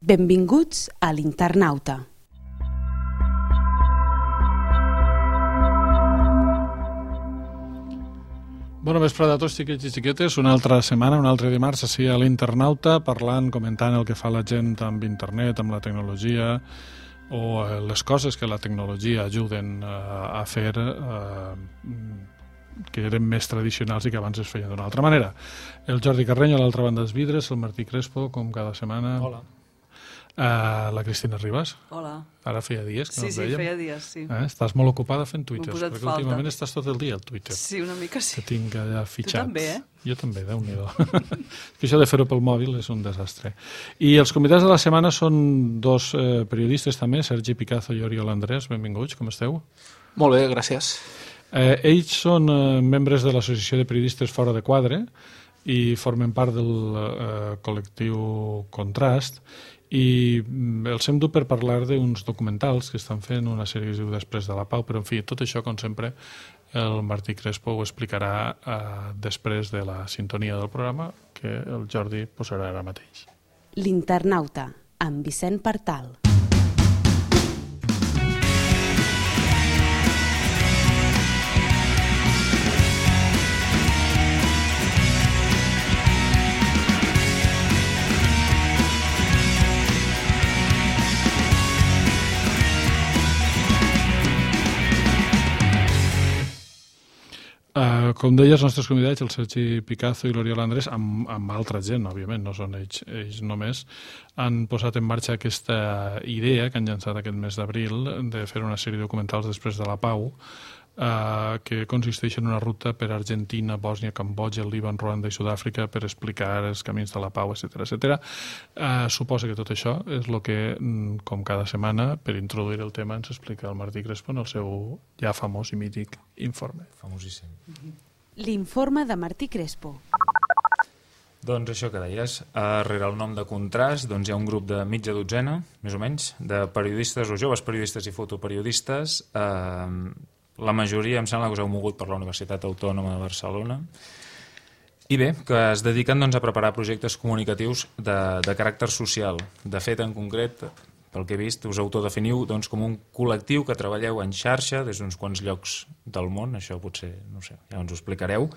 Benvinguts a l'Internauta. Bona vesprada a tots, xiquets i xiquetes. Una altra setmana, un altre dimarts, així a l'Internauta, parlant, comentant el que fa la gent amb internet, amb la tecnologia, o les coses que la tecnologia ajuden a fer que eren més tradicionals i que abans es feien d'una altra manera. El Jordi Carreño, a l'altra banda dels vidres, el Martí Crespo, com cada setmana. Hola. La Cristina Ribas. Hola. Ara feia dies que no ens veiem. veiem. Feia dies, sí. Estàs molt ocupada fent Twitter, M'ho he posat perquè falta. últimament estàs tot el dia al Twitter. Sí, una mica sí. Que tinc allà fitxat. Tu també, Jo també, Déu-n'hi-do. Que això de fer-ho pel mòbil és un desastre. I els convidats de la setmana són dos periodistes també, Sergi Picazo i Oriol Andrés. Benvinguts, com esteu? Molt bé, gràcies. Ells són membres de l'Associació de Periodistes Fora de Quadre i formen part del col·lectiu Contrast, i els hem dut per parlar d'uns documentals que estan fent, una sèrie que es diu Després de la Pau, però en fi, tot això, com sempre, el Martí Crespo ho explicarà després de la sintonia del programa que el Jordi posarà ara mateix. L'Internauta, amb Vicent Partal. Com deia, els nostres convidats, el Sergi Picazo i l'Oriol Andrés, amb altra gent, òbviament, no són ells només, han posat en marxa aquesta idea que han llançat aquest mes d'abril de fer una sèrie de documentals després de la Pau, que consisteix en una ruta per Argentina, Bòsnia, Cambodja, Líban, Ruanda i Sud-àfrica per explicar els camins de la pau, etc. Suposa que tot això és el que, com cada setmana, per introduir el tema, ens explica el Martí Crespo en el seu ja famós i mític informe. Famosíssim. L'informe de Martí Crespo. Doncs això que deies, rere el nom de Contrast doncs hi ha un grup de mitja dotzena, més o menys, de periodistes o joves periodistes i fotoperiodistes. La majoria em sembla que us heu mogut per la Universitat Autònoma de Barcelona. I bé, que es dediquen doncs, a preparar projectes comunicatius de caràcter social. De fet, en concret, pel que he vist, us autodefiniu doncs, com un col·lectiu que treballeu en xarxa des d'uns quants llocs del món, això potser, no sé, ja ens ho explicareu,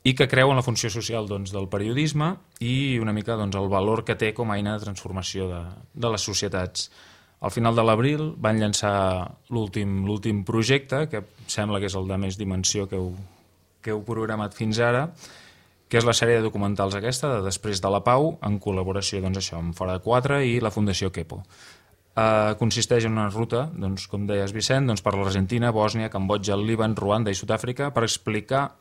i que creu en la funció social doncs, del periodisme i una mica doncs, el valor que té com a eina de transformació de les societats. Al final de l'abril van llançar l'últim projecte, que sembla que és el de més dimensió que heu programat fins ara, que és la sèrie de documentals aquesta, de Després de la Pau, en col·laboració doncs, això, amb Fora de Quatre i la Fundació Kepo. Consisteix en una ruta, doncs, com deies Vicent, doncs, per l'Argentina, Bòsnia, Cambodja, el Líban, Ruanda i Sud-àfrica per explicar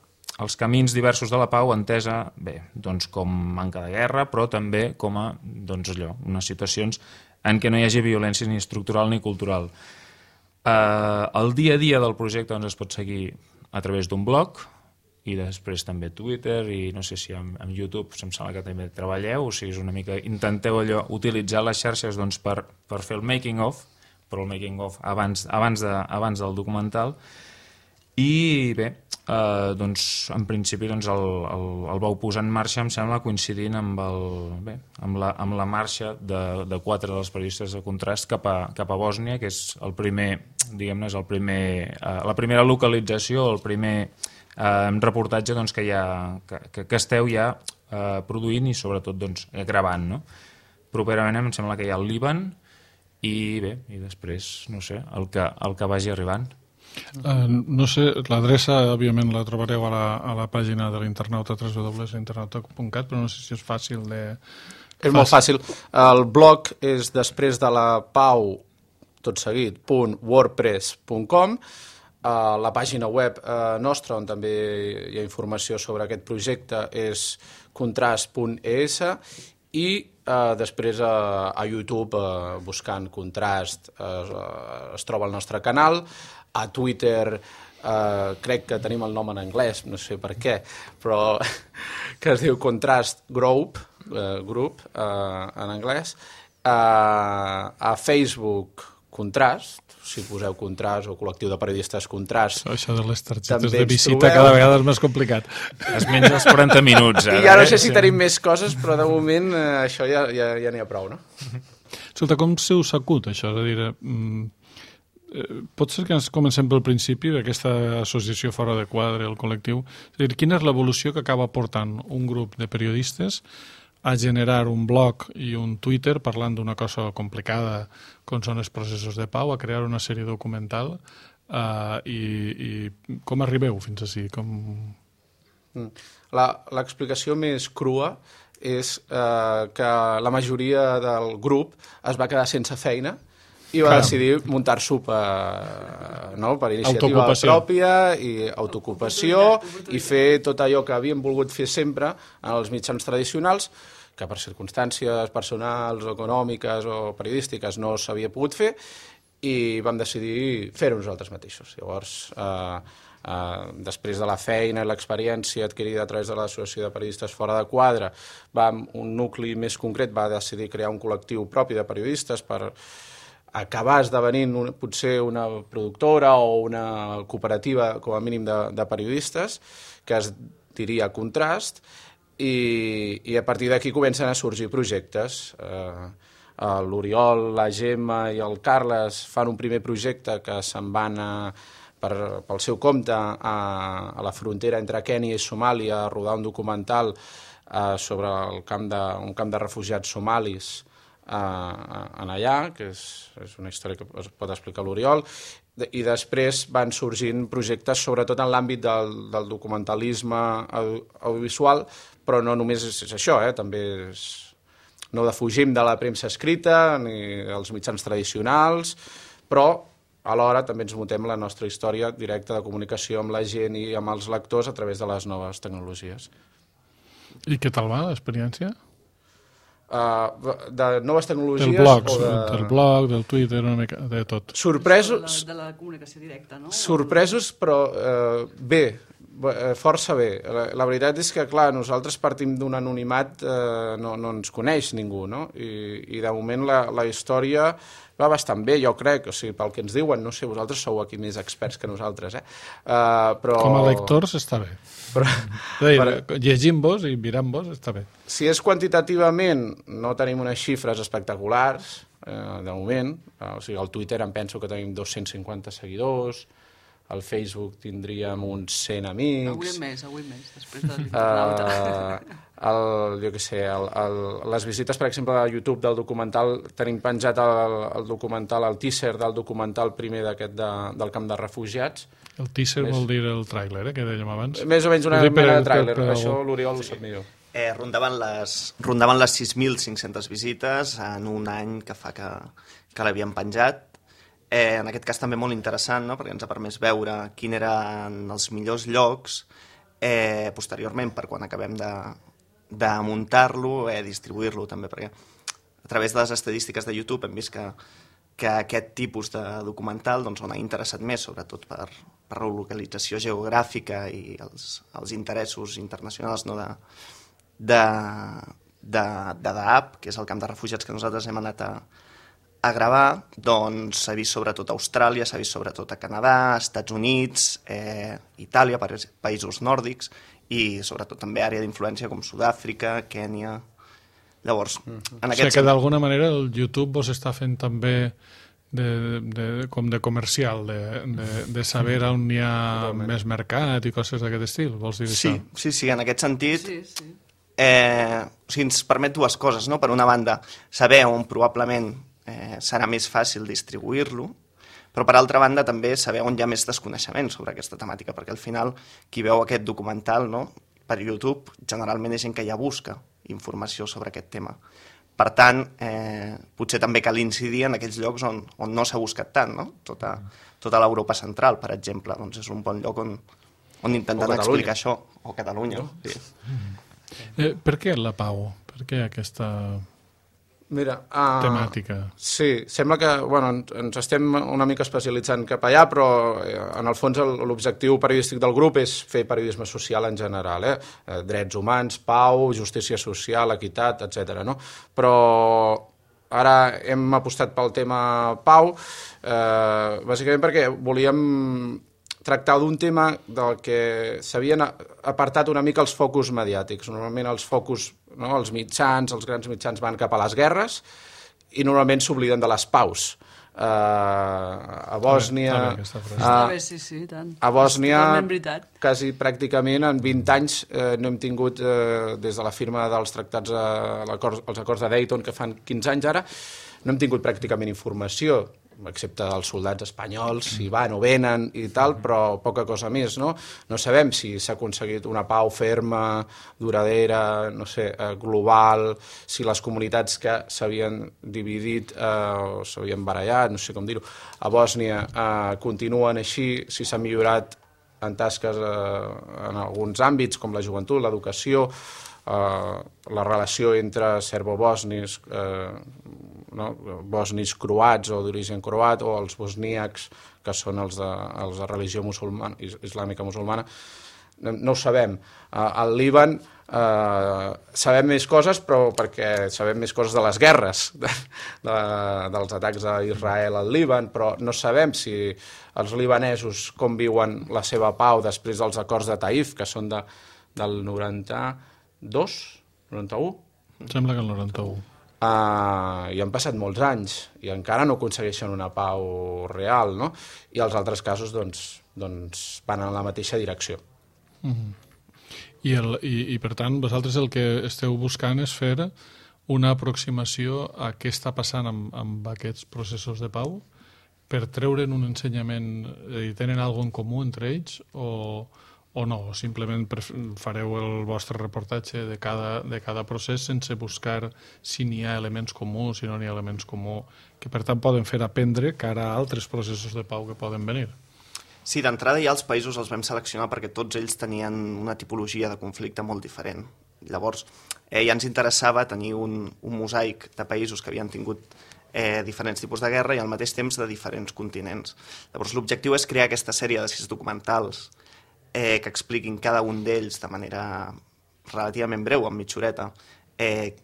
els camins diversos de la pau entesa bé, doncs, com manca de guerra, però també com a doncs, allò, unes situacions en què no hi hagi violència ni estructural ni cultural. El dia a dia del projecte doncs, es pot seguir a través d'un blog i després també Twitter i no sé si amb YouTube em sembla que també treballeu, o sigui, és una mica intenteu allò, utilitzar les xarxes doncs, per fer el making of, però el making of abans del documental. I bé, doncs, en principi doncs, el vau posar en marxa, em sembla, coincidint amb la marxa de quatre dels periodistes de Contrast cap a Bòsnia, que és el primer, diguem-ne, és la primera localització, el primer reportatge doncs, que esteu ja produint i sobretot doncs, gravant. No? Properament em sembla que hi ha el Líban i bé, i després, no sé, el que vagi arribant. No sé, l'adreça òbviament la trobareu a la pàgina de l'Internauta, www.l'internauta.cat, però no sé si és fàcil de... És molt fàcil. El blog és Després de la Pau, tot seguit, .wordpress.com. La pàgina web nostra, on també hi ha informació sobre aquest projecte, és contrast.es, i després a YouTube, buscant Contrast, es troba el nostre canal. A Twitter crec que tenim el nom en anglès, no sé per què, però que es diu Contrast Group en anglès. A Facebook Contrast, si poseu Contrast o col·lectiu de periodistes Contrast. Això de les targetes També de ens visita trobeu. cada vegada és més complicat. Es menja els 40 minuts. I ja no sé si tenim més coses, però de moment això ja n'hi ha prou, no? Escolta, com se us acut això? És a dir, pot ser que ens comencem pel principi d'aquesta associació fora de quadre, el col·lectiu. És a dir, quina és l'evolució que acaba portant un grup de periodistes a generar un blog i un Twitter parlant d'una cosa complicada com són els processos de pau, a crear una sèrie documental i com arribeu fins ací? L'explicació més crua és que la majoria del grup es va quedar sense feina i va decidir muntar-s'ho per iniciativa pròpia i autoocupació i fer tot allò que havíem volgut fer sempre en els mitjans tradicionals, que per circumstàncies personals o econòmiques o periodístiques no s'havia pogut fer, i vam decidir fer-ho nosaltres mateixos. Llavors, després de la feina i l'experiència adquirida a través de l'Associació de Periodistes Fora de Quadre, un nucli més concret va decidir crear un col·lectiu propi de periodistes per acabar esdevenint potser una productora o una cooperativa, com a mínim, de periodistes, que es diria Contrast, i a partir d'aquí comencen a sorgir projectes. L'Oriol, la Gemma i el Carles fan un primer projecte que se'n van pel seu compte a la frontera entre Kènia i Somàlia a rodar un documental sobre un camp de refugiats somalis en allà, que és una història que es pot explicar l'Oriol, i després van sorgint projectes sobretot en l'àmbit del documentalisme audiovisual, però no només és això, també no defugim de la premsa escrita ni dels mitjans tradicionals, però alhora també ens muntem la nostra història directa de comunicació amb la gent i amb els lectors a través de les noves tecnologies. I què tal va l'experiència? De noves tecnologies del blog, del Twitter, una mica de tot. Sorpresos, de la comunicació directa, no? Sorpresos, però bé, força bé. La veritat és que, clar, nosaltres partim d'un anonimat, no ens coneix ningú, no? I de moment la història va bastant bé, jo crec, o sigui, pel que ens diuen, no sé, vosaltres sou aquí més experts que nosaltres, però... Com a lectors està bé. Llegint-vos i mirant-vos està bé. Si és quantitativament, no tenim unes xifres espectaculars, de moment, o sigui, al Twitter em penso que tenim 250 seguidors, al Facebook tindríem uns 100 amics... Avui més, després de l'internauta. Jo què sé, les visites, per exemple, a YouTube del documental, tenim penjat el documental, el teaser del documental primer d'aquest del camp de refugiats. El teaser vol dir el tràiler, que dèiem abans? Més o menys una mena de tràiler, això l'Oriol ho sap millor. Rondaven les 6.500 visites en un any que fa que l'havien penjat. En aquest cas també molt interessant, no? Perquè ens ha permès veure quins eren els millors llocs posteriorment per quan acabem de muntar-lo, distribuir-lo també, perquè a través de les estadístiques de YouTube hem vist que aquest tipus de documental on ha interessat més, sobretot per la localització geogràfica i els interessos internacionals, no, de Dadaab, que és el camp de refugiats que nosaltres hem anat a gravar, doncs s'ha vist sobretot a Austràlia, s'ha vist sobretot a Canadà, Estats Units, Itàlia, països nòrdics, i sobretot també àrea d'influència com Sud-àfrica, Kènia... Llavors, en aquest que d'alguna manera el YouTube vos està fent també com de comercial, de saber on hi ha més mercat i coses d'aquest estil, vols dir això? Sí, en aquest sentit... Ens permet dues coses, no? Per una banda, saber on probablement serà més fàcil distribuir-lo, però per altra banda també saber on hi ha més desconeixement sobre aquesta temàtica, perquè al final qui veu aquest documental, no, per YouTube generalment és gent que ja busca informació sobre aquest tema. Per tant, potser també cal incidir en aquells llocs on no s'ha buscat tant, no? Tota l'Europa central, per exemple, doncs és un bon lloc on intentant explicar això, o Catalunya. No? Sí. Per què la pau? Per què aquesta... temàtica? Sí, sembla que ens estem una mica especialitzant cap allà, però en el fons l'objectiu periodístic del grup és fer periodisme social en general, drets humans, pau, justícia social, equitat, etc. No? Però ara hem apostat pel tema pau, bàsicament perquè volíem tractar d'un tema del que s'havien apartat una mica els focus mediàtics. Normalment els focus, no, els mitjans, els grans mitjans van cap a les guerres i normalment s'obliden de les paus. A Bòsnia... Sí, tant. A Bòsnia, quasi pràcticament en 20 anys no hem tingut, des de la firma dels tractats, els acords de Dayton, que fan 15 anys ara, no hem tingut pràcticament informació, excepte dels soldats espanyols, si van o venen i tal, però poca cosa més, no? No sabem si s'ha aconseguit una pau ferma, duradera, no sé, global, si les comunitats que s'havien dividit o s'havien barallat, no sé com dir-ho, a Bòsnia continuen així, si s'ha millorat en tasques en alguns àmbits, com la joventut, l'educació, la relació entre serbo-bòsnis, bòsnis croats o d'origen croat, o els bosníacs, que són els de religió musulmana, islàmica musulmana, no ho sabem. Al Líban sabem més coses, però perquè sabem més coses de les guerres, dels atacs a Israel al Líban, però no sabem si els libanesos com viuen la seva pau després dels acords de Taif, que són del 92, 91? Sembla que el 91. I han passat molts anys i encara no aconsegueixen una pau real, no? I els altres casos doncs van en la mateixa direcció. I per tant, vosaltres el que esteu buscant és fer una aproximació a què està passant amb aquests processos de pau per treure'n un ensenyament, tenen alguna cosa en comú entre ells o no? Simplement fareu el vostre reportatge de cada procés sense buscar si n'hi ha elements comuns, si no n'hi ha elements comuns, que per tant poden fer aprendre cara a altres processos de pau que poden venir. Sí, d'entrada ja els països els vam seleccionar perquè tots ells tenien una tipologia de conflicte molt diferent. Llavors, ja ens interessava tenir un mosaic de països que havien tingut diferents tipus de guerra i al mateix temps de diferents continents. Llavors, l'objectiu és crear aquesta sèrie de 6 documentals que expliquin cada un d'ells de manera relativament breu, amb mitja horeta,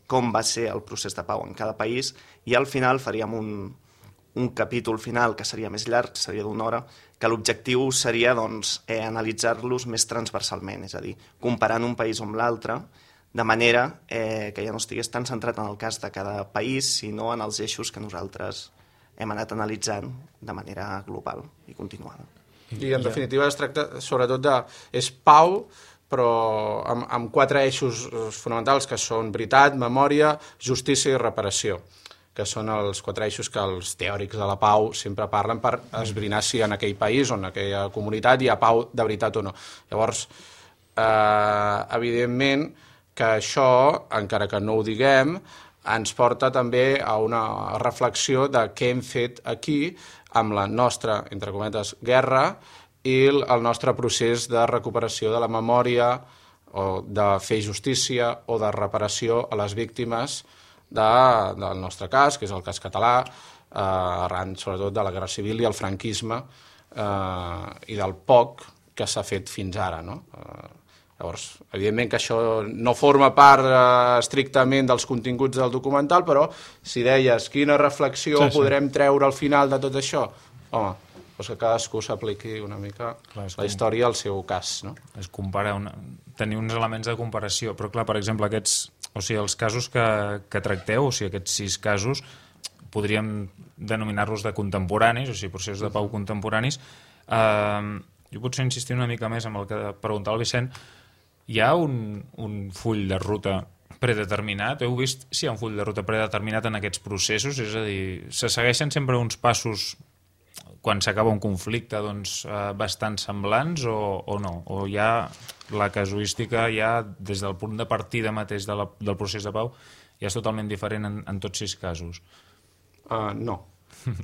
com va ser el procés de pau en cada país, i al final faríem un capítol final que seria més llarg, seria d'1 hora, que l'objectiu seria analitzar-los més transversalment, és a dir, comparant un país amb l'altre, de manera que ja no estigués tan centrat en el cas de cada país, sinó en els eixos que nosaltres hem anat analitzant de manera global i continuada. I en definitiva es tracta sobretot és pau, però amb 4 eixos fonamentals que són veritat, memòria, justícia i reparació, que són els 4 eixos que els teòrics de la pau sempre parlen per esbrinar si en aquell país o en aquella comunitat hi ha pau de veritat o no. Llavors, evidentment que això, encara que no ho diguem, ens porta també a una reflexió de què hem fet aquí amb la nostra, entre cometes, guerra i el nostre procés de recuperació de la memòria o de fer justícia o de reparació a les víctimes del nostre cas, que és el cas català, arran sobretot de la Guerra Civil i el franquisme i del poc que s'ha fet fins ara, no? Llavors, evidentment que això no forma part estrictament dels continguts del documental, però si deies quina reflexió podrem treure al final de tot això, home, doncs que cadascú s'apliqui una mica la història al seu cas, no? És comparar, tenir uns elements de comparació, però clar, per exemple, els casos que tracteu, o sigui, aquests 6 casos, podríem denominar-los de contemporanis, o sigui, processos de pau contemporanis. Jo potser insistir una mica més amb el que preguntava el Vicent. Hi ha un full de ruta predeterminat? Heu vist si hi ha un full de ruta predeterminat en aquests processos? És a dir, se segueixen sempre uns passos quan s'acaba un conflicte bastant semblants o no? O ja la casuística ja des del punt de partida mateix del procés de pau ja és totalment diferent en tots 6 casos? No.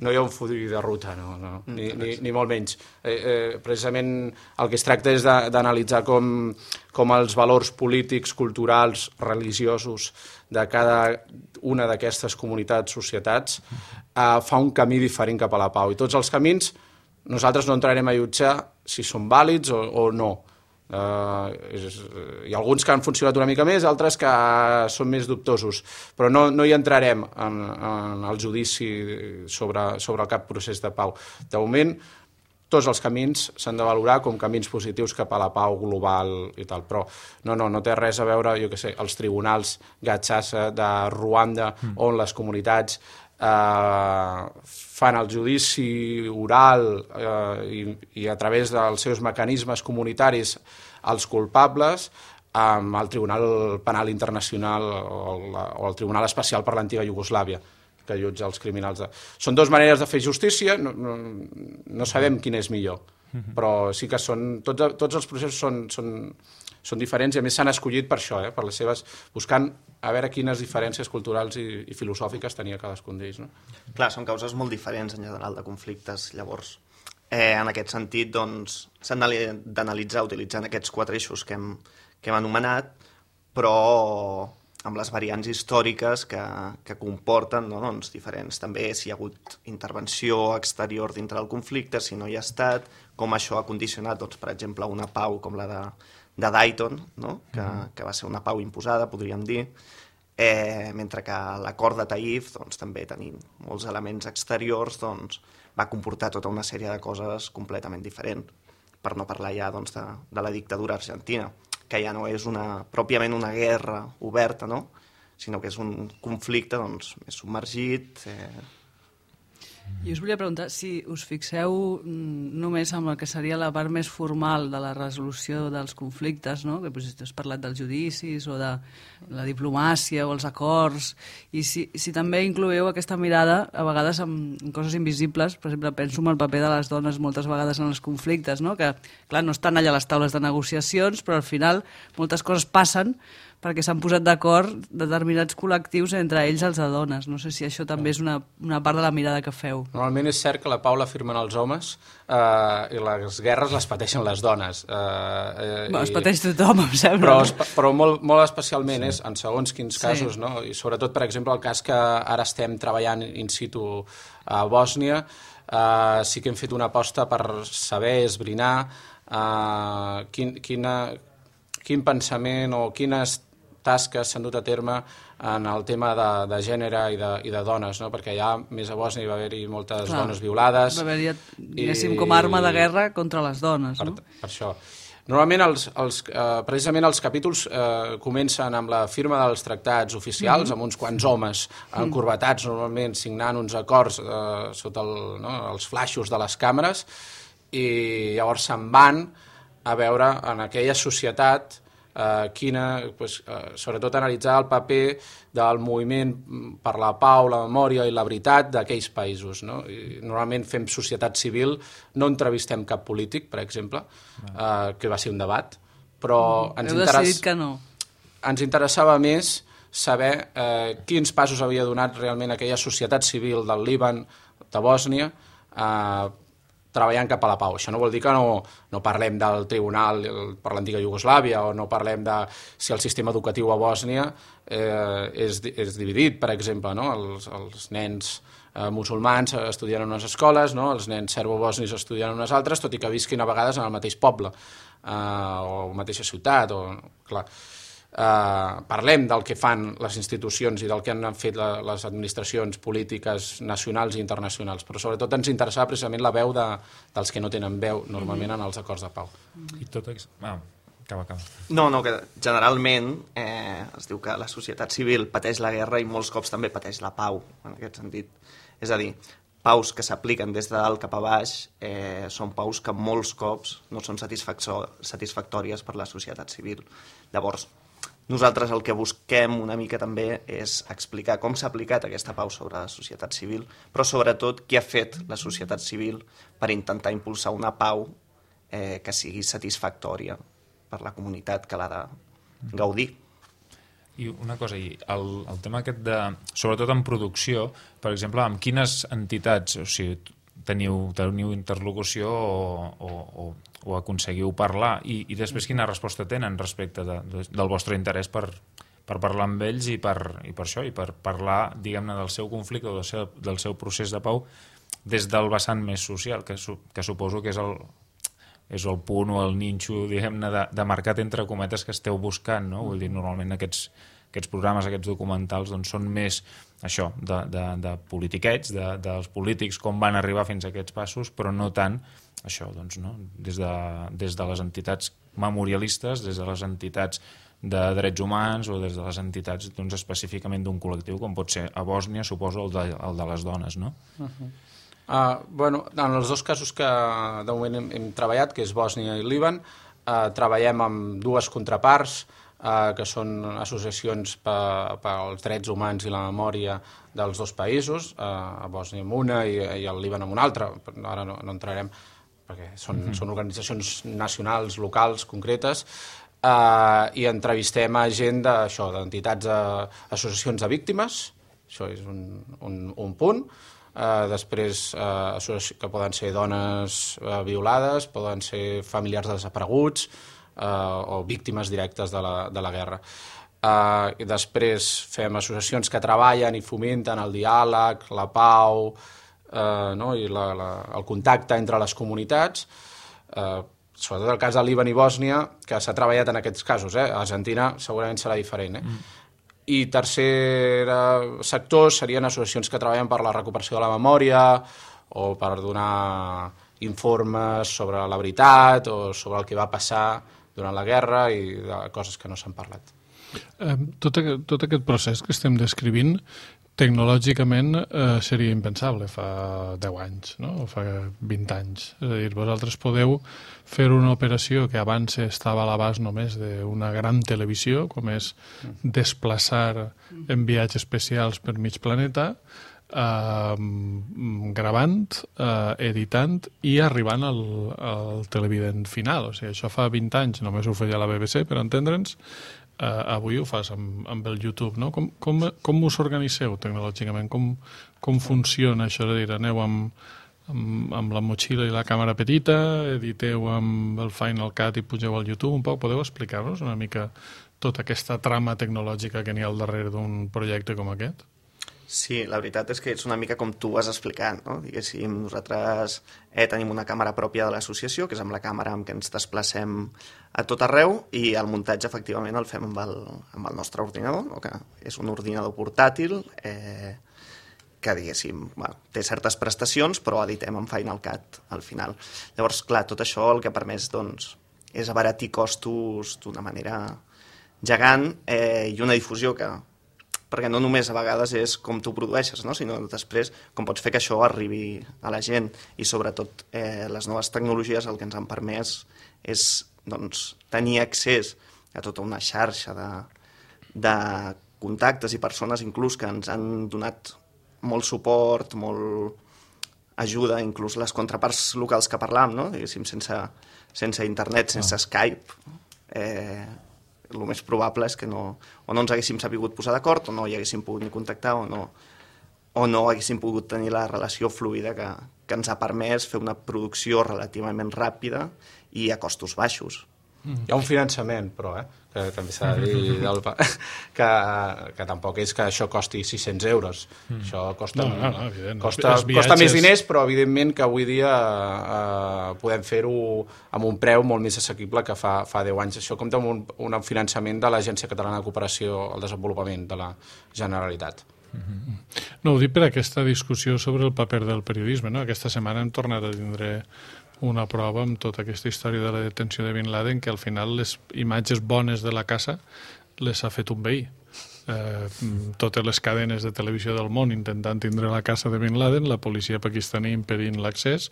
No hi ha un full de ruta, no. Ni molt menys. Precisament el que es tracta és d'analitzar com els valors polítics, culturals, religiosos de cada una d'aquestes comunitats, societats, fa un camí diferent cap a la pau. I tots els camins nosaltres no entrarem a jutjar si són vàlids o no. Hi ha alguns que han funcionat una mica més, altres que són més dubtosos, però no hi entrarem en el judici sobre el cap procés de pau. De moment, tots els camins s'han de valorar com camins positius cap a la pau global i tal, però no té res a veure, jo què sé, els tribunals Gachaca de Ruanda, on les comunitats fan el judici oral i a través dels seus mecanismes comunitaris els culpables, amb el Tribunal Penal Internacional o el Tribunal Especial per l'antiga Iugoslàvia, que jutja els criminals. Són dues maneres de fer justícia, no sabem quina és millor, però sí que tots els processos són diferents i a més s'han escollit per això, per les seves, buscant a veure quines diferències culturals i filosòfiques tenia cadascun d'ells. No? Clar, són causes molt diferents en general de conflictes, llavors en aquest sentit doncs s'han d'analitzar utilitzant aquests 4 eixos que hem anomenat, però amb les variants històriques que comporten doncs, diferents. També si hi ha hagut intervenció exterior dintre del conflicte, si no hi ha estat, com això ha condicionat, doncs, per exemple, una pau com la de Dayton, no? que va ser una pau imposada, podríem dir, mentre que l'acord de Taif, doncs, també tenint molts elements exteriors, doncs, va comportar tota una sèrie de coses completament diferents, per no parlar ja doncs, de la dictadura argentina, que ja no és pròpiament una guerra oberta, no? Sinó que és un conflicte doncs, més submergit. I us volia preguntar si us fixeu només amb el que seria la part més formal de la resolució dels conflictes, no? Que has parlat dels judicis o de la diplomàcia o els acords, i si també incloeu aquesta mirada a vegades en coses invisibles. Per exemple, penso en el paper de les dones moltes vegades en els conflictes, no? Que clar, no estan allà a les taules de negociacions, però al final moltes coses passen perquè s'han posat d'acord determinats col·lectius, entre ells els de dones. No sé si això també és una part de la mirada que feu. Normalment és cert que la pau la firmen els homes i les guerres les pateixen les dones. Es pateix tothom, em sembla. Però molt especialment és en segons quins casos, no? I sobretot, per exemple, el cas que ara estem treballant in situ a Bòsnia, sí que hem fet una aposta per saber, esbrinar quin pensament o quines tasques s'han dut a terme en el tema de gènere i de dones, no? Perquè ja més a Bòsnia hi va haver-hi moltes dones violades. Va haver-hi, diguéssim, com a arma de guerra contra les dones, no? Per això. Normalment, precisament els capítols comencen amb la firma dels tractats oficials, amb uns quants homes encorbatats, normalment signant uns acords sota els flaixos de les càmeres, i llavors se'n van a veure en aquella societat sobretot analitzar el paper del moviment per la pau, la memòria i la veritat d'aquells països. No? Normalment fem societat civil, no entrevistem cap polític, per exemple, que va ser un debat, però decidit que no. Ens interessava més saber quins passos havia donat realment aquella societat civil del Líban, de Bòsnia, treballant cap a la pau. Això no vol dir que no parlem del tribunal per l'antiga Iugoslàvia o no parlem de si el sistema educatiu a Bòsnia és dividit, per exemple. No? Els nens musulmans estudien en unes escoles, no? Els nens serbo-bòsnis estudien en unes altres, tot i que visquin a vegades en el mateix poble o mateixa ciutat. Clar. Parlem del que fan les institucions i del que han fet les administracions polítiques nacionals i internacionals, però sobretot ens interessava precisament la veu dels que no tenen veu normalment en els acords de pau. I tot acaba. No, que generalment es diu que la societat civil pateix la guerra i molts cops també pateix la pau, en aquest sentit. És a dir, paus que s'apliquen des de dalt cap a baix són paus que molts cops no són satisfactòries per la societat civil. Llavors, nosaltres el que busquem una mica també és explicar com s'ha aplicat aquesta pau sobre la societat civil, però sobretot què ha fet la societat civil per intentar impulsar una pau que sigui satisfactòria per la comunitat que l'ha de gaudir. I una cosa, el tema aquest sobretot en producció, per exemple, amb quines entitats, o sigui, teniu interlocució o aconseguiu parlar i després quina resposta tenen respecte del vostre interès per parlar amb ells i per això, i per parlar, diguem-ne, del seu conflicte o del seu procés de pau des del vessant més social, que suposo que és és el punt o el ninxo, diguem-ne, de mercat entre cometes que esteu buscant, no? Vull dir, normalment aquests programes, aquests documentals, doncs són més això, de politiquets, dels polítics, com van arribar fins a aquests passos, però no tant això, doncs, no? Des de les entitats memorialistes, des de les entitats de drets humans o des de les entitats doncs, específicament d'un col·lectiu, com pot ser a Bòsnia, suposo, el de les dones, no? Bueno, en els dos casos que de moment hem treballat, que és Bòsnia i Líban, treballem amb dues contraparts, que són associacions pels drets humans i la memòria dels dos països, a Bòsnia amb una i al Líban amb una altra. Ara no entrarem perquè són organitzacions nacionals, locals, concretes, i entrevistem a gent d'entitats, associacions de víctimes, això és un punt. Després, que poden ser dones violades, poden ser familiars desapareguts o víctimes directes de la guerra. I després fem associacions que treballen i fomenten el diàleg, la pau, i el contacte entre les comunitats, sobretot el cas de Líban i Bòsnia, que s'ha treballat en aquests casos. A Argentina segurament serà diferent. I tercer sector serien associacions que treballen per la recuperació de la memòria o per donar informes sobre la veritat o sobre el que va passar durant la guerra i de coses que no s'han parlat. Tot aquest procés que estem descrivint tecnològicament seria impensable fa 10 anys, no? O fa 20 anys. És a dir, vosaltres podeu fer una operació que abans estava a l'abast només d'una gran televisió, com és desplaçar en viatges especials per mig planeta, gravant, editant i arribant al televident final. O sigui, això fa 20 anys només ho feia la BBC, per entendre'ns. Avui ho fas amb el YouTube, no? Com us organitzeu tecnològicament? Com funciona això? És a dir, aneu amb la motxilla i la càmera petita, editeu amb el Final Cut i pugeu al YouTube un poc? Podeu explicar-nos una mica tota aquesta trama tecnològica que n'hi ha al darrere d'un projecte com aquest? Sí, la veritat és que és una mica com tu vas explicant, no? Diguéssim, nosaltres tenim una càmera pròpia de l'associació, que és amb la càmera amb què ens desplacem a tot arreu, i el muntatge efectivament el fem amb el nostre ordinador, no? Que és un ordinador portàtil que, diguéssim, té certes prestacions, però editem en Final Cut al final. Llavors, clar, tot això el que ha permès doncs, és abaratir costos d'una manera gegant i una difusió perquè no només a vegades és com tu produeixes, no? Sinó després com pots fer que això arribi a la gent, i sobretot les noves tecnologies el que ens han permès és doncs, tenir accés a tota una xarxa de contactes i persones inclús que ens han donat molt suport, molt ajuda, inclús les contraparts locals que parlàvem, no? Diguéssim, sense internet, sense Skype, el més probable és que o no ens haguéssim sabut posar d'acord, o no hi haguéssim pogut ni contactar, o no haguéssim pogut tenir la relació fluida que ens ha permès fer una producció relativament ràpida i a costos baixos. Hi ha un finançament, però, que també s'ha de dir, que tampoc és que això costi 600 euros. Això costa més diners, però evidentment que avui dia podem fer-ho amb un preu molt més assequible que fa 10 anys. Això compta amb un finançament de l'Agència Catalana de Cooperació al Desenvolupament de la Generalitat. No, ho dic per aquesta discussió sobre el paper del periodisme, no? Aquesta setmana hem tornat a tindre una prova amb tota aquesta història de la detenció de Bin Laden, que al final les imatges bones de la casa les ha fet un veí. Totes les cadenes de televisió del món intentant tindre la casa de Bin Laden, la policia pakistaní impedint l'accés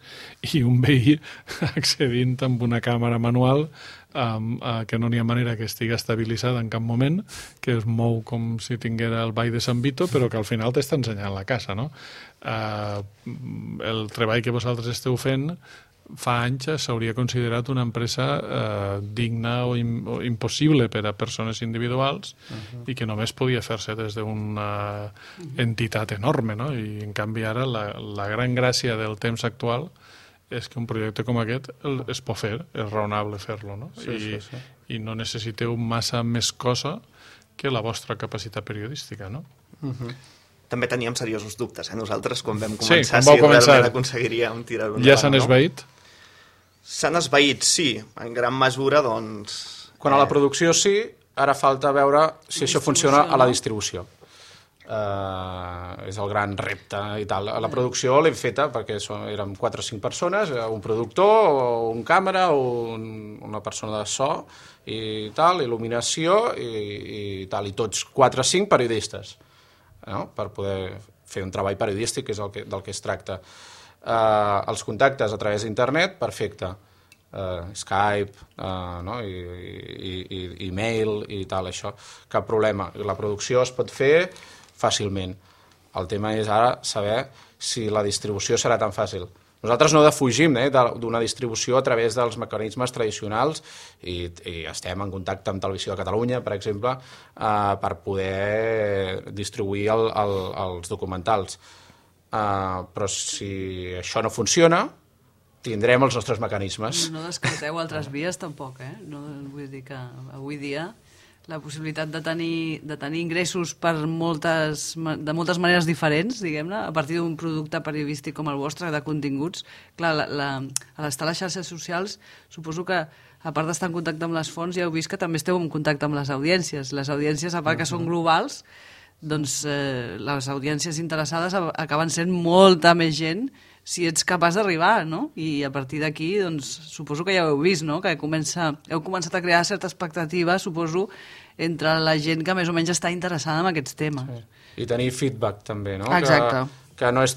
i un veí accedint amb una càmera manual que no n'hi ha manera que estigui estabilitzada en cap moment, que es mou com si tinguera el ball de Sant Vito, però que al final t'està ensenyant la casa, no? El treball que vosaltres esteu fent fa anys s'hauria considerat una empresa digna o impossible per a persones individuals i que només podia fer-se des d'una entitat enorme, no? I en canvi ara la gran gràcia del temps actual és que un projecte com aquest es pot fer, és raonable fer-lo, no? Sí. I no necessiteu massa més cosa que la vostra capacitat periodística, no? També teníem seriosos dubtes, nosaltres, quan vam començar, si realment aconseguiríem tirar-ho endavant. Ja s'han esvaït? S'han esvaït, sí, en gran mesura, doncs... Quan a la producció sí, ara falta veure si això funciona a la distribució. És el gran repte i tal. A la producció l'hem feta perquè érem 4 o 5 persones, un productor, un càmera, una persona de so i tal, il·luminació i tal, i tots 4 o 5 periodistes, no? Per poder fer un treball periodístic, que és del que es tracta. Els contactes a través d'internet, perfecte. Skype, no? i e-mail i tal, això, cap problema. La producció es pot fer fàcilment. El tema és ara saber si la distribució serà tan fàcil. Nosaltres no defugim d'una distribució a través dels mecanismes tradicionals i estem en contacte amb Televisió de Catalunya, per exemple, per poder distribuir els documentals. Però si això no funciona, tindrem els nostres mecanismes. No descarteu altres vies tampoc, eh? No, vull dir que avui dia la possibilitat de tenir ingressos de moltes maneres diferents, diguem-ne, a partir d'un producte periodístic com el vostre, de continguts. Clar, a l'estar a les xarxes socials, suposo que, a part d'estar en contacte amb les fonts, ja heu vist que també esteu en contacte amb les audiències. Les audiències, a part que són globals, doncs les audiències interessades acaben sent molta més gent si ets capaç d'arribar, no? I a partir d'aquí, doncs, suposo que ja ho heu vist, no? Que heu començat a crear certa expectativa, suposo, entre la gent que més o menys està interessada en aquests temes. Sí. I tenir feedback, també, no? Exacte. Que no és...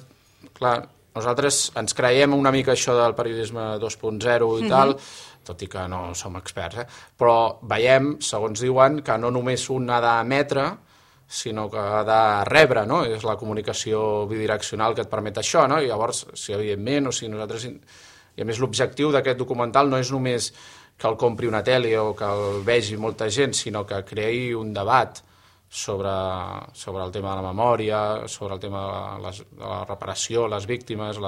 Clar, nosaltres ens creiem una mica això del periodisme 2.0 i tal, tot i que no som experts, però veiem, segons diuen, que no només un ha d'emetre, sinó que ha de rebre, no? És la comunicació bidireccional que et permet això, no? I llavors, si evidentment, o si nosaltres... I a més, l'objectiu d'aquest documental no és només que el compri una tele o que el vegi molta gent, sinó que creï un debat sobre el tema de la memòria, sobre el tema de la reparació, les víctimes,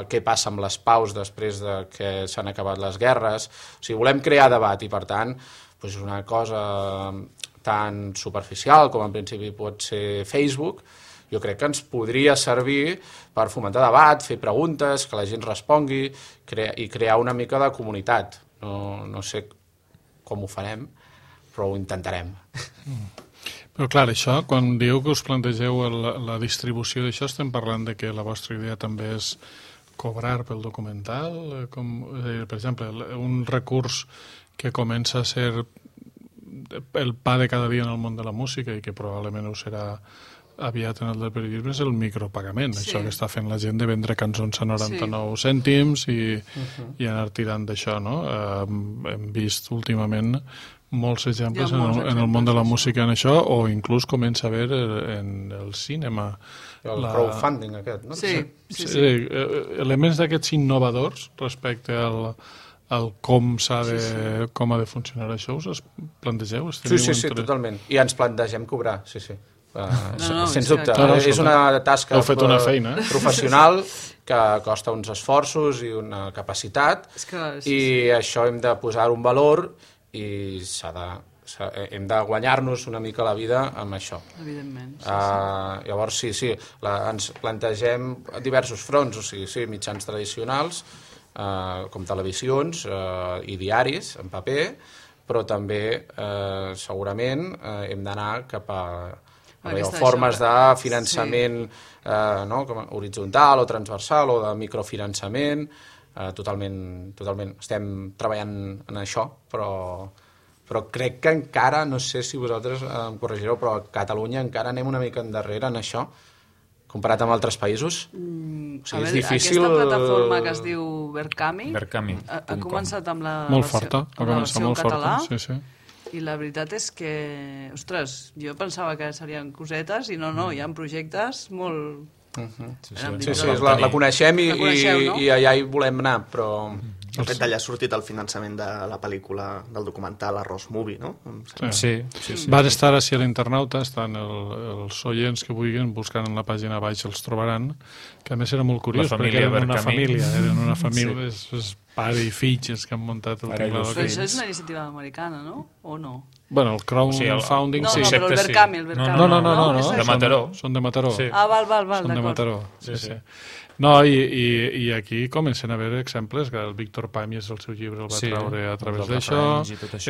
què passa amb les paus després de que s'han acabat les guerres. O sigui, volem crear debat i, per tant, doncs una cosa tan superficial com en principi pot ser Facebook, jo crec que ens podria servir per fomentar debat, fer preguntes, que la gent respongui i crear una mica de comunitat. No sé com ho farem, però ho intentarem. Però clar, això, quan dieu que us plantegeu la distribució d'això, estem parlant de que la vostra idea també és cobrar pel documental? Per exemple, un recurs que comença a ser el pa de cada dia en el món de la música i que probablement ho serà aviat en el del periodisme és el micropagament, sí. Això que està fent la gent de vendre cançons a 99 cèntims i anar tirant d'això, no? Hem vist últimament molts exemples en el món de la música en això, o inclús comença a haver en el cinema. El crowdfunding aquest, no? Sí. Elements d'aquests innovadors respecte al com ha de funcionar això, us plantegeu? Sí, totalment. I ens plantegem cobrar, sí. Sens dubte. És una tasca professional que costa uns esforços i una capacitat i això hem de posar un valor i hem de guanyar-nos una mica la vida amb això. Evidentment. Llavors, ens plantegem diversos fronts, o sigui, mitjans tradicionals, com televisions i diaris en paper, però també segurament hem d'anar cap a formes de finançament horitzontal o transversal o de microfinançament, totalment. Estem treballant en això, però crec que encara, no sé si vosaltres em corregireu, però a Catalunya encara anem una mica endarrere en això, comparat amb altres països. És difícil... Aquesta plataforma que es diu Verkami ha començat amb la versió en català. Sí. I la veritat és que, ostres, jo pensava que serien cosetes i no, hi ha projectes molt... La coneixem i allà hi volem anar, però... De fet, d'allà ha sortit el finançament de la pel·lícula del documental Arròs Movie, no? Sí. Van estar així a l'Internauta, estan els oients que vulguin, buscant en la pàgina baix els trobaran, que a més era molt curiós, perquè eren una família, és pare i fills que han muntat el Tinglado. Però això és una iniciativa americana, no? O no? Bueno, el crowdfunding... No, sí. però el Verkami, No. De Mataró. Són de Mataró. Sí. Val, Són de d'acord. Mataró. Sí. No, i aquí comencen a haver exemples, que el Víctor Pàmies el seu llibre el va treure a través d'això,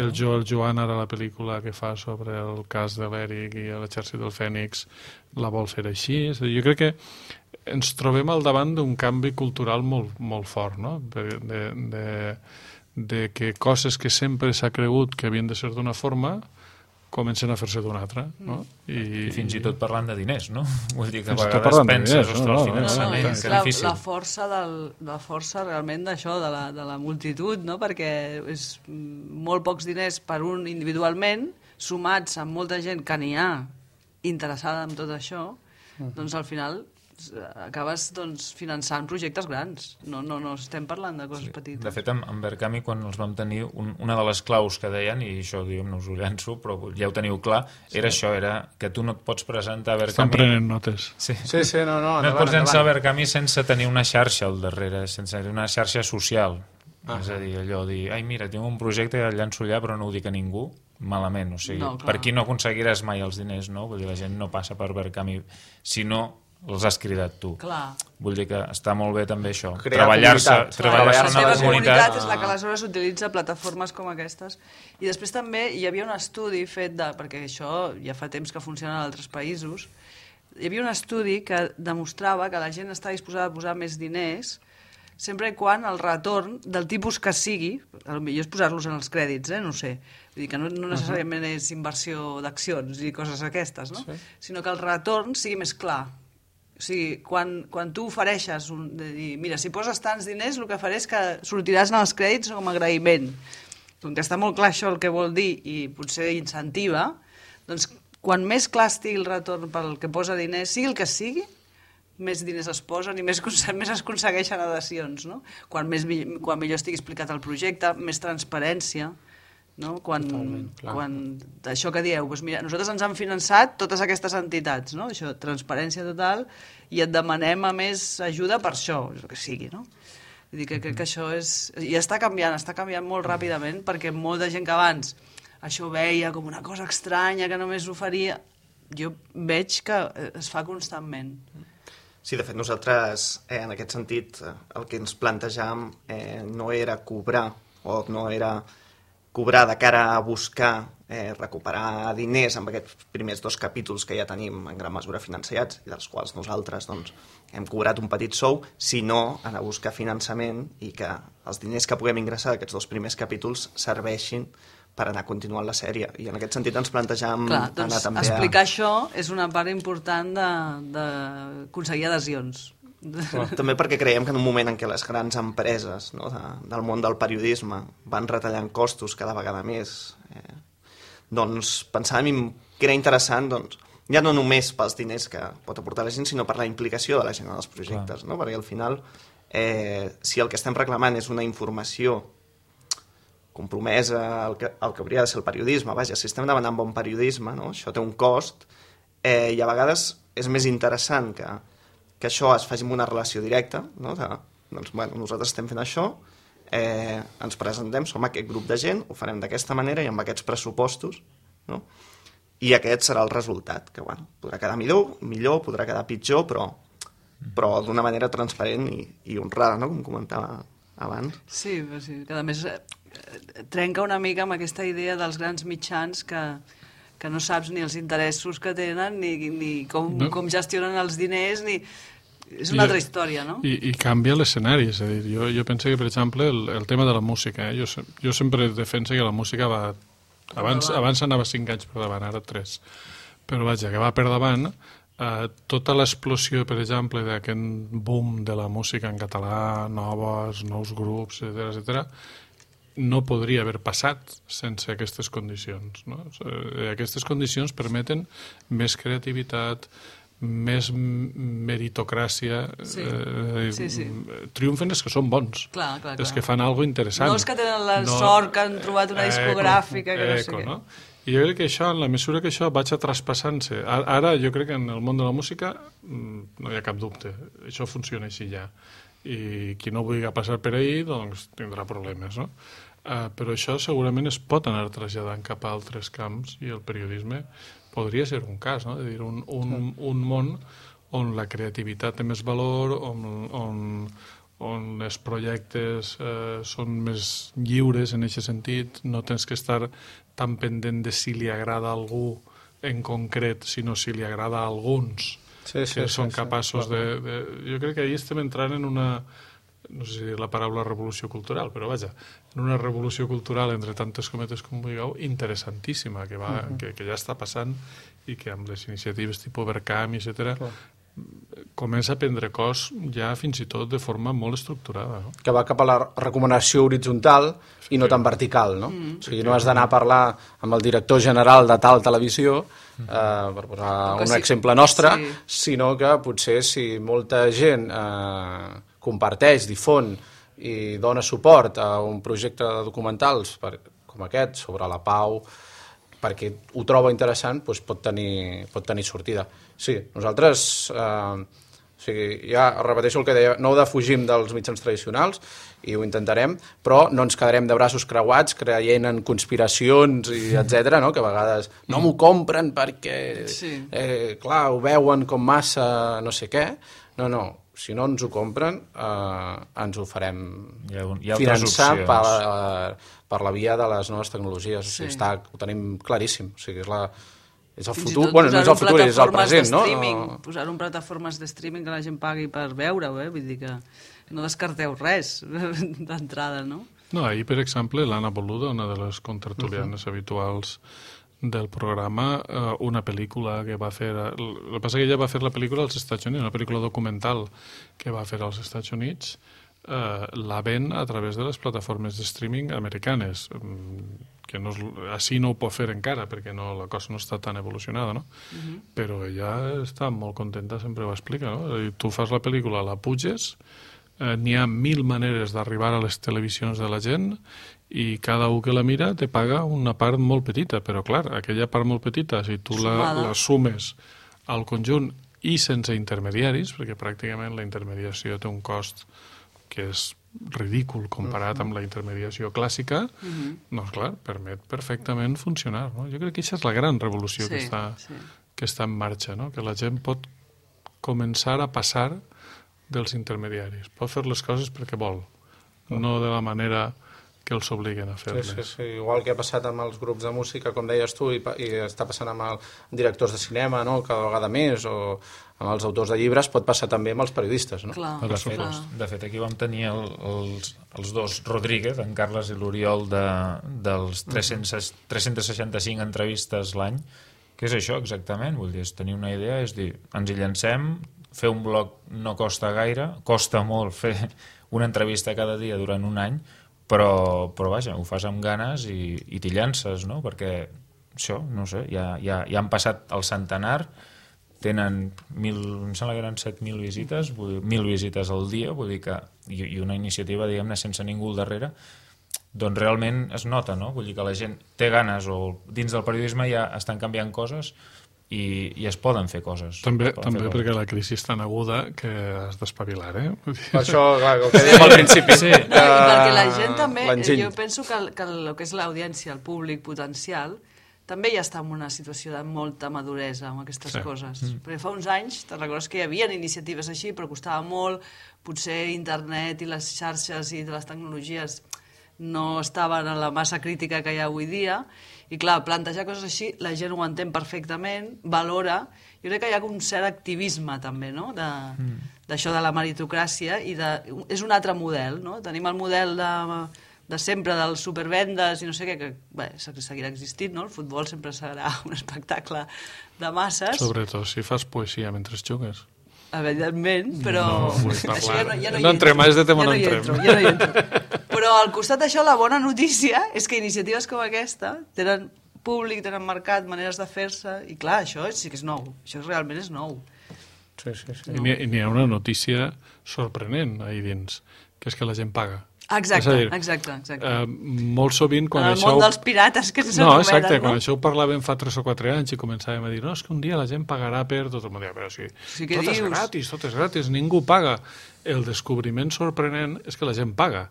el Joel Joan ara la pel·lícula que fa sobre el cas de l'Eric i l'exèrcit del Fènix la vol fer així. És a dir, jo crec que ens trobem al davant d'un canvi cultural molt fort, no? De que coses que sempre s'ha cregut que havien de ser d'una forma comencen a fer-se d'una altra, no? I fins i tot parlant de diners, no? Vull dir que a Fins i tot vegades parlant de penses, diners, ostres, no, el finançament, és que difícil. la força realment d'això, de la multitud, no? Perquè és molt pocs diners per un individualment, sumats amb molta gent que n'hi ha interessada en tot això, doncs al final acabes finançant projectes grans. No estem parlant de coses petites. De fet, en Verkami, quan els vam tenir, una de les claus que deien, i això, diguem, no us ho llanço, però ja ho teniu clar, era això, era que tu no et pots presentar a Verkami... Estan prenent notes. Sí, no. No et pots llançar a Verkami sense tenir una xarxa al darrere, sense tenir una xarxa social. És a dir, allò dir, ai, mira, tinc un projecte que el llanço allà, però no ho dic a ningú, malament. O sigui, per aquí no aconseguiràs mai els diners, no? Vull dir, la gent no passa per Verkami, sinó els has cridat tu. Clar. Vull dir que està molt bé també això. Treballar-se Treballar-se en la comunitat. És la que aleshores utilitza plataformes com aquestes. I després també hi havia un estudi fet perquè això ja fa temps que funciona en altres països, hi havia un estudi que demostrava que la gent està disposada a posar més diners sempre quan el retorn del tipus que sigui, potser és posar-los en els crèdits, no ho sé, vull dir que no necessàriament és inversió d'accions i coses aquestes, no? Sinó que el retorn sigui més clar. O sigui, quan tu ofereixes de dir, mira, si poses tants diners, el que faré és que sortiràs en els crèdits com a agraïment. Com que està molt clar això el que vol dir i potser incentiva, doncs quan més clar estigui el retorn pel que posa diners, sigui el que sigui, més diners es posen i més es aconsegueixen adhesions, no? Quan millor estigui explicat el projecte, més transparència, no? Quan això que dieu, doncs mira, nosaltres ens han finançat totes aquestes entitats, no? Això, transparència total, i et demanem a més ajuda per això, el que sigui, no? Vull dir que crec que això és... I està canviant molt ràpidament, perquè molta gent que abans això ho veia com una cosa estranya que només ho faria, jo veig que es fa constantment. Sí, de fet, nosaltres, en aquest sentit, el que ens plantejàvem no era cobrar, o no era cobrar de cara a buscar recuperar diners amb aquests primers 2 capítols que ja tenim en gran mesura financiats, i dels quals nosaltres hem cobrat un petit sou, sinó anar a buscar finançament i que els diners que puguem ingressar d'aquests 2 primers capítols serveixin per anar continuant la sèrie. I en aquest sentit ens plantejàvem anar també explicar això és una part important d'aconseguir adhesions. També perquè creiem que en un moment en què les grans empreses del món del periodisme van retallant costos cada vegada més, doncs pensàvem que era interessant ja no només pels diners que pot aportar la gent, sinó per la implicació de la gent en els projectes, no? Perquè al final, si el que estem reclamant és una informació compromesa al que hauria de ser el periodisme, vaja, si estem demanant bon periodisme, no? Això té un cost, i a vegades és més interessant que això es faci amb una relació directa, no? Doncs, bueno, nosaltres estem fent això, ens presentem, som aquest grup de gent, ho farem d'aquesta manera i amb aquests pressupostos, no? I aquest serà el resultat, que bueno, podrà quedar millor, podrà quedar pitjor, però d'una manera transparent i honrada, no? Com comentava abans. Sí, que a més trenca una mica amb aquesta idea dels grans mitjans que no saps ni els interessos que tenen ni com gestionen els diners, és una altra història, no? I canvia l'escenari, és a dir, jo penso que, per exemple, el tema de la música, jo sempre defenso que la música va... Abans anava 5 anys per davant, ara 3. Però vaja, que va per davant, tota l'explosió, per exemple, d'aquest boom de la música en català, nous grups, etc., no podria haver passat sense aquestes condicions, no? Aquestes condicions permeten més creativitat, més meritocràcia. Triomfen els que són bons, els que fan alguna cosa interessant. No els que tenen la sort que han trobat una discogràfica que no sé què. No? I jo crec que això, en la mesura que això vaig traspassant-se, ara jo crec que en el món de la música no hi ha cap dubte, això funciona així ja, i qui no vulgui passar per ahí doncs tindrà problemes, no? Però això segurament es pot anar traslladant cap a altres camps i el periodisme podria ser un cas, no? És a dir, un món on la creativitat té més valor, on els projectes són més lliures en aquest sentit, no tens que estar tan pendent de si li agrada a algú en concret, sinó si li agrada a alguns que són capaços de... Jo crec que ahir estem entrant en una... no sé si dir la paraula revolució cultural, però vaja, en una revolució cultural, entre tantes cometes com vulgueu, interessantíssima, que ja està passant i que amb les iniciatives tipus Verkam, etc., comença a prendre cos ja fins i tot de forma molt estructurada. No? Que va cap a la recomanació horitzontal i no tan vertical, no? O sigui, no has d'anar a parlar amb el director general de tal televisió, per posar un exemple nostre, sinó que potser si molta gent comparteix, difon i dona suport a un projecte de documentals com aquest, sobre la pau, perquè ho troba interessant, doncs pot tenir sortida. Sí, nosaltres, ja repeteixo el que deia, no defugim dels mitjans tradicionals i ho intentarem, però no ens quedarem de braços creuats creient en conspiracions i etc., no? Que a vegades no m'ho compren perquè, clar, ho veuen com massa no sé què. No, si no ens ho compren, ens ho farem finançar per la via de les noves tecnologies. O sigui, ho tenim claríssim. O sigui, és el futur, bueno, no és el futur, és el present, no? Posar-ho en plataformes de streaming que la gent pagui per veure-ho, vull dir que no descarteu res d'entrada, no? No, ahir, per exemple, l'Anna Boluda, una de les contertulianes habituals del programa, una pel·lícula que va fer... El que passa que ella va fer la pel·lícula als Estats Units, una pel·lícula documental que va fer als Estats Units, la ven a través de les plataformes de streaming americanes, que així no ho pot fer encara, perquè la cosa no està tan evolucionada, no? Però ella està molt contenta, sempre ho explica, no? Tu fas la pel·lícula, la puges, n'hi ha 1000 maneres d'arribar a les televisions de la gent i cada un que la mira te paga una part molt petita, però clar, aquella part molt petita, si tu la sumes al conjunt i sense intermediaris, perquè pràcticament la intermediació té un cost que és ridícul comparat amb la intermediació clàssica, doncs clar, permet perfectament funcionar. No? Jo crec que aquesta és la gran revolució que està en marxa, no? Que la gent pot començar a passar dels intermediaris. Pot fer les coses perquè vol, no de la manera que els obliguen a fer-les. Sí. Igual que ha passat amb els grups de música, com deies tu, i està passant amb els directors de cinema, no? Cada vegada més, o amb els autors de llibres, pot passar també amb els periodistes, no? De fet, aquí vam tenir els dos Rodríguez, en Carles i l'Oriol, dels 365 entrevistes l'any, que és això exactament, vull dir, és tenir una idea, és dir, ens hi llancem, fer un blog no costa gaire, costa molt fer una entrevista cada dia durant un any, però vaja, ho fas amb ganes i t'hi llances, no? Perquè això, no sé, ja han passat el centenar, tenen em sembla que eren 7.000 visites, 1.000 visites al dia, vull dir que, i una iniciativa, diguem-ne, sense ningú al darrere, doncs realment es nota, no? Vull dir que la gent té ganes, o dins del periodisme ja estan canviant coses i es poden fer coses. També perquè la crisi és tan aguda que has d'espavilar, Per això, clar, el que dèiem al principi. Sí. I perquè la gent també, jo penso que el que és l'audiència, el públic potencial, també ja està en una situació de molta maduresa amb aquestes coses. Perquè fa uns anys, te'n recordes que hi havia iniciatives així, però costava molt, potser internet i les xarxes i les tecnologies no estaven en la massa crítica que hi ha avui dia, i clar, plantejar coses així, la gent ho entén perfectament, valora, jo crec que hi ha un cert activisme també, no?, d'això de la meritocràcia, i és un altre model, no? Tenim el model de sempre dels supervendes i no sé què, que seguirà existint, no? El futbol sempre serà un espectacle de masses. Sobretot si fas poesia mentre jugues. Evidentment, però... No entrem, és de tema no entrem. Ja no hi entro. Però al costat d'això, la bona notícia és que iniciatives com aquesta tenen públic, tenen mercat, maneres de fer-se, i clar, això sí que és nou. Això realment és nou. Sí. I n'hi ha una notícia sorprenent ahí dins, que és que la gent paga. Exacte. Molt sovint quan en el això... món dels pirates que s'anomenen, exacte, quan això ho parlàvem fa 3 o 4 anys i començàvem a dir, no, és que un dia la gent pagarà per... Tot el món deia, però sí, tot és gratis, ningú paga. El descobriment sorprenent és que la gent paga.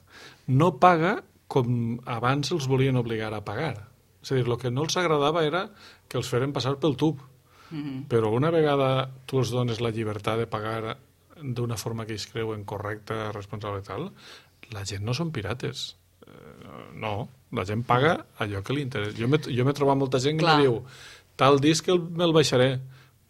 No paga com abans els volien obligar a pagar. És a dir, el que no els agradava era que els feren passar pel tub. Però una vegada tu els dones la llibertat de pagar d'una forma que ells creuen correcta, responsable i tal, la gent no són pirates. No, la gent paga allò que li interessa. Jo m'he trobat molta gent que em diu tal disc me'l baixaré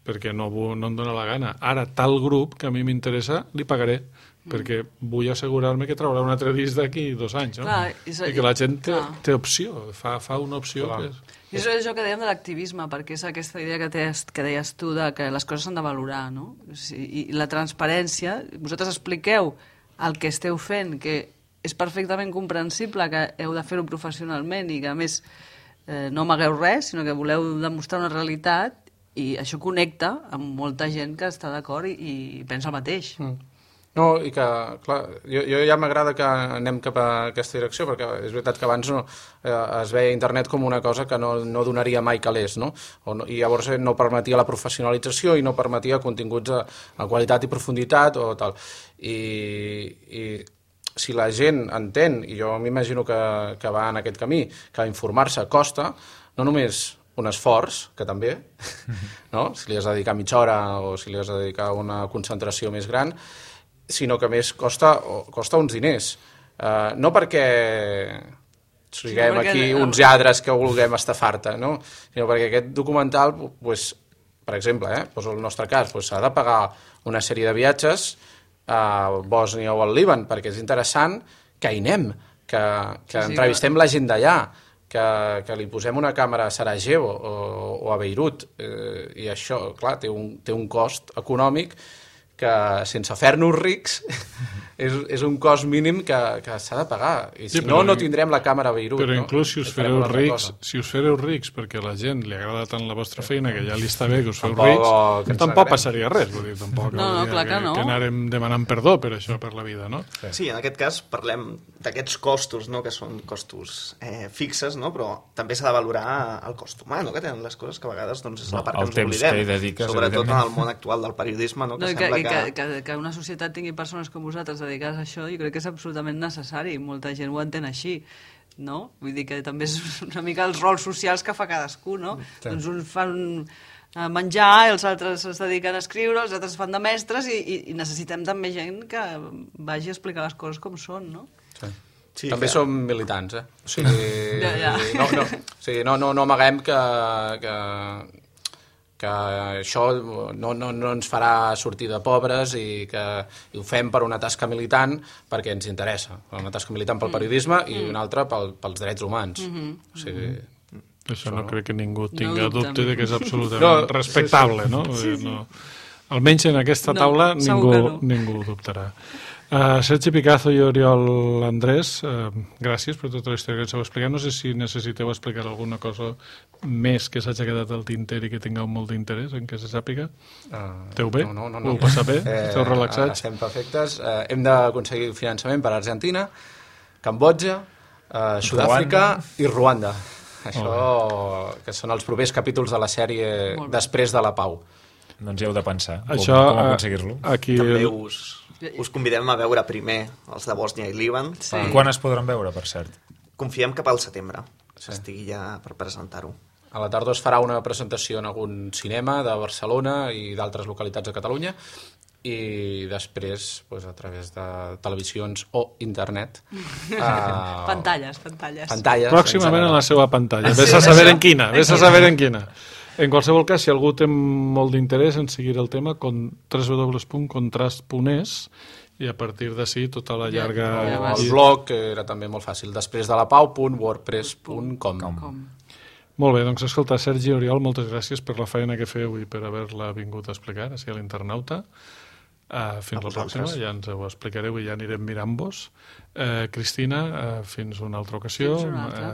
perquè no em dóna la gana. Ara, tal grup que a mi m'interessa, li pagaré perquè vull assegurar-me que traurà un altre disc d'aquí 2 anys. No? Clar, i que la gent té opció, fa una opció. Que és... I això és això que dèiem de l'activisme, perquè és aquesta idea que deies tu de que les coses s'han de valorar, no? I la transparència, vosaltres expliqueu el que esteu fent, que és perfectament comprensible que heu de fer-ho professionalment i que, a més, no amagueu res, sinó que voleu demostrar una realitat, i això connecta amb molta gent que està d'acord i pensa el mateix. No, i que, clar, jo ja m'agrada que anem cap a aquesta direcció, perquè és veritat que abans es veia internet com una cosa que no donaria mai calés, no? I llavors no permetia la professionalització i no permetia continguts de qualitat i profunditat o tal. I si la gent entén, i jo m'imagino que va en aquest camí, que informar-se costa, no només un esforç, que també, no? Si li has de dedicar mitja hora o si li has de dedicar una concentració més gran, sinó que a més costa uns diners. No perquè siguem aquí uns lladres que vulguem estafar-te, no? Sinó perquè aquest documental, per exemple, poso el nostre cas, s'ha de pagar una sèrie de viatges a Bòsnia o al Líban, perquè és interessant que hi anem, que entrevistem la gent d'allà, que li posem una càmera a Sarajevo o a Beirut, i això, clar, té un cost econòmic que sense fer-nos rics és un cost mínim que s'ha de pagar. I si no tindrem la càmera a Beirut. Però inclús si us fareu rics perquè a la gent li agrada tant la vostra feina que ja li està bé que us feu rics, tampoc passaria res. Vull dir, tampoc que anàrem demanant perdó per això, per la vida, no? Sí, en aquest cas parlem d'aquests costos, que són costos fixes, però també s'ha de valorar el cost humà, que tenen les coses que a vegades és la part que ens oblidem. Sobretot en el món actual del periodisme, que sembla que una societat tingui persones com vosaltres dedicades a això, jo crec que és absolutament necessari. Molta gent ho entén així, no? Vull dir que també és una mica els rols socials que fa cadascú, no? Sí. Doncs uns fan menjar, els altres es dediquen a escriure, els altres fan de mestres i necessitem també gent que vagi a explicar les coses com són, no? Sí, també som militants, O sigui, no amaguem que això no ens farà sortir de pobres i que ho fem per una tasca militant perquè ens interessa. Una tasca militant pel periodisme i una altra pels drets humans. O sigui... Això no crec que ningú tinga dubte de que és absolutament respectable, no? Almenys en aquesta taula ningú ho dubtarà. Sergi Picazo i Oriol Andrés, gràcies per tota la història que ens heu explicat. No sé si necessiteu explicar alguna cosa més que s'hagi quedat al tinter i que tingueu molt d'interès en què se sàpiga. Esteu bé? No. Ho passa bé? Esteu relaxats? Estem perfectes. Hem d'aconseguir finançament per Argentina, Cambodja, Sud-àfrica i Ruanda. Això que són els propers capítols de la sèrie Després de la Pau. Doncs hi heu de pensar com aconseguir-lo. També us convidem a veure primer els de Bòsnia i Líban. Sí. Quan es podran veure, per cert? Confiem cap al setembre, estigui ja per presentar-ho. A la tardor es farà una presentació en algun cinema de Barcelona i d'altres localitats de Catalunya i després a través de televisions o internet. Pantalles. Pròximament a la seva pantalla. Ves a saber en quina. En qualsevol cas, si algú té molt d'interès en seguir el tema, www.contrast.es i a partir d'ací tota la llarga... El blog era també molt fàcil, despresdelapau.wordpress.com. Molt bé, doncs escolta, Sergi i Oriol, moltes gràcies per la feina que feu i per haver-la vingut a explicar així a l'Internauta. Fins la pròxima, ja ens ho explicareu i ja anirem mirant-vos. Cristina, fins una altra ocasió.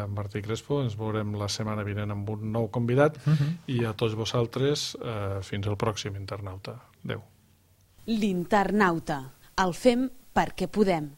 Martí Crespo, ens veurem la setmana vinent amb un nou convidat i a tots vosaltres fins al pròxim Internauta. Adéu. L'Internauta. El fem perquè podem.